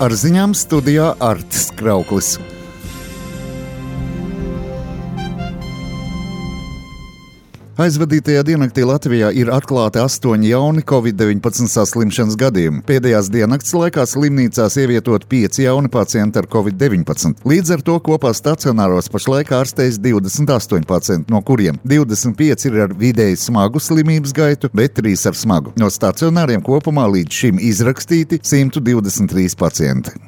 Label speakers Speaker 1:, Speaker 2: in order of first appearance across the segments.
Speaker 1: Ar ziņām studijā Artis Krauklis. Aizvadītajā diennaktī Latvijā ir atklāti 8 jauni Covid-19 saslimšanas gadījumi. Pēdējās diennakts laikā slimnīcās ievietot 5 jauni pacienti ar Covid-19. Līdz ar to kopā stacionāros pašlaik ārstējas 28 pacienti, no kuriem 25 ir ar vidēji smagu slimības gaitu, bet 3 ar smagu. No stacionāriem kopumā līdz šim izrakstīti 123 pacienti.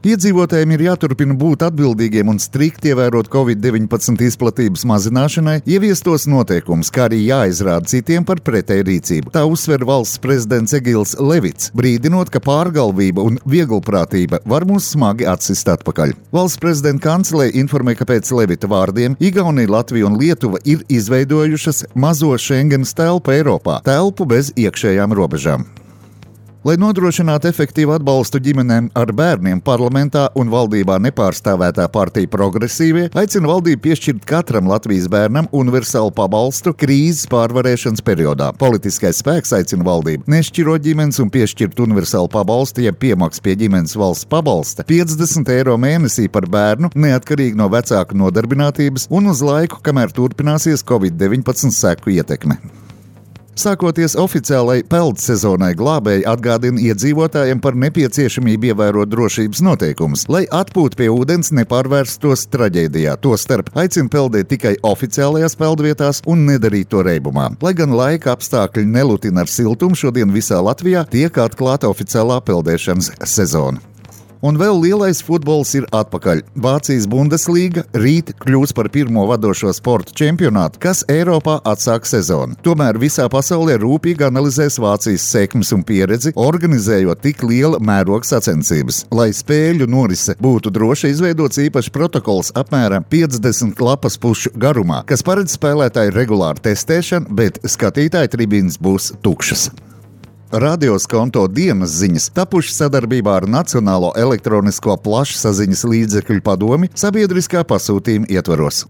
Speaker 1: Iedzīvotājiem ir jāturpina būt atbildīgiem un strikti ievērot Covid-19 izplatības mazināšanai ieviestos noteikumus, kā arī jāizrāda citiem par pretēju rīcību. Tā uzsver valsts prezidents Egils Levits, brīdinot, ka pārgalvība un vieglprātība var mūs smagi atsist atpakaļ. Valsts prezidenta kancelē informē, ka pēc Levita vārdiem Igaunija, Latvija un Lietuva ir izveidojušas mazo Schengenas telpu Eiropā, telpu bez iekšējām robežām. Lai nodrošinātu efektīvu atbalstu ģimenēm ar bērniem, parlamentā un valdībā nepārstāvētā partija Progresīvie aicina valdību piešķirt katram Latvijas bērnam universālu pabalstu krīzes pārvarēšanas periodā. Politiskais spēks aicina valdību nešķirot ģimenes un piešķirt universālu pabalstu, ja piemaksa pie ģimenes valsts pabalsta 50 eiro mēnesī par bērnu, neatkarīgi no vecāku nodarbinātības un uz laiku, kamēr turpināsies Covid-19 seku ietekme. Sākoties oficiālai peldu sezonai, glābēji atgādina iedzīvotājiem par nepieciešamību ievērot drošības noteikumus, lai atpūta pie ūdens nepārvērstos traģēdijā. Tostarp aicina peldēt tikai oficiālajās peldvietās un nedarīt to reibumā. Lai gan laika apstākļi nelutina ar siltumu, šodien visā Latvijā tiek atklāta oficiālā peldēšanas sezona. Un vēl lielais futbols ir atpakaļ. Vācijas Bundeslīga rīt kļūs par pirmo vadošo sporta čempionātu, kas Eiropā atsāk sezonu. Tomēr visā pasaulē rūpīgi analizēs Vācijas sekmes un pieredzi, organizējot tik liela mēroga sacensības. Lai spēļu norise būtu droši, izveidots īpašs protokols apmēram 50 lapas pušu garumā, kas paredz spēlētāju regulāru testēšanu, bet skatītāju tribīnes būs tukšas. Radioskonto dienas ziņas tapuši sadarbībā ar Nacionālo elektronisko plašsaziņas līdzekļu padomi sabiedriskā pasūtījuma ietvaros.